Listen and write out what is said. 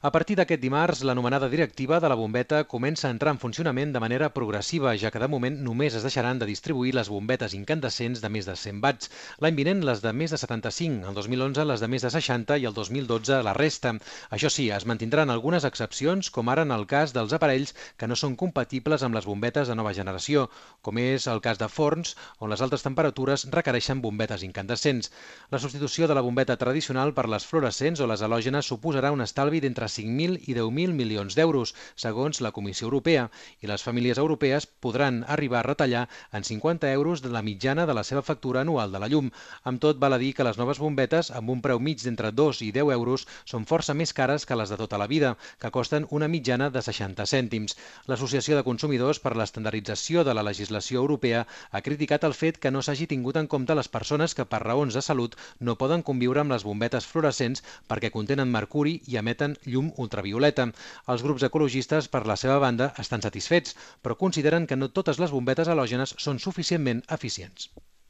A partir d'aquest dimarts, l'anomenada directiva de la bombeta comença a entrar en funcionament de manera progressiva, ja que de moment només es deixaran de distribuir les bombetes incandescents de més de 100 watts. L'any vinent les de més de 75, el 2011 les de més de 60 i el 2012 la resta. Això sí, es mantindran algunes excepcions, com ara en el cas dels aparells que no són compatibles amb les bombetes de nova generació, com és el cas de forns, on les altes temperatures requereixen bombetes incandescents. La substitució de la bombeta tradicional per les fluorescents o les halògenes suposarà un estalvi d'entre 5.000 i 10.000 milions d'euros, segons la Comissió Europea, i les famílies europees podran arribar a retallar en 50 euros de la mitjana de la seva factura anual de la llum. Amb tot, val a dir que les noves bombetes, amb un preu mig d'entre 2 i 10 euros, són força més cares que les de tota la vida, que costen una mitjana de 60 cèntims. L'Associació de Consumidors per l'Estandardització de la Legislació Europea ha criticat el fet que no s'hagi tingut en compte les persones que per raons de salut no poden conviure amb les bombetes fluorescents perquè contenen mercuri i emeten llum ultravioleta. Els grups ecologistes, per la seva banda, estan satisfets, però consideren que no totes les bombetes halògenes són suficientment eficients.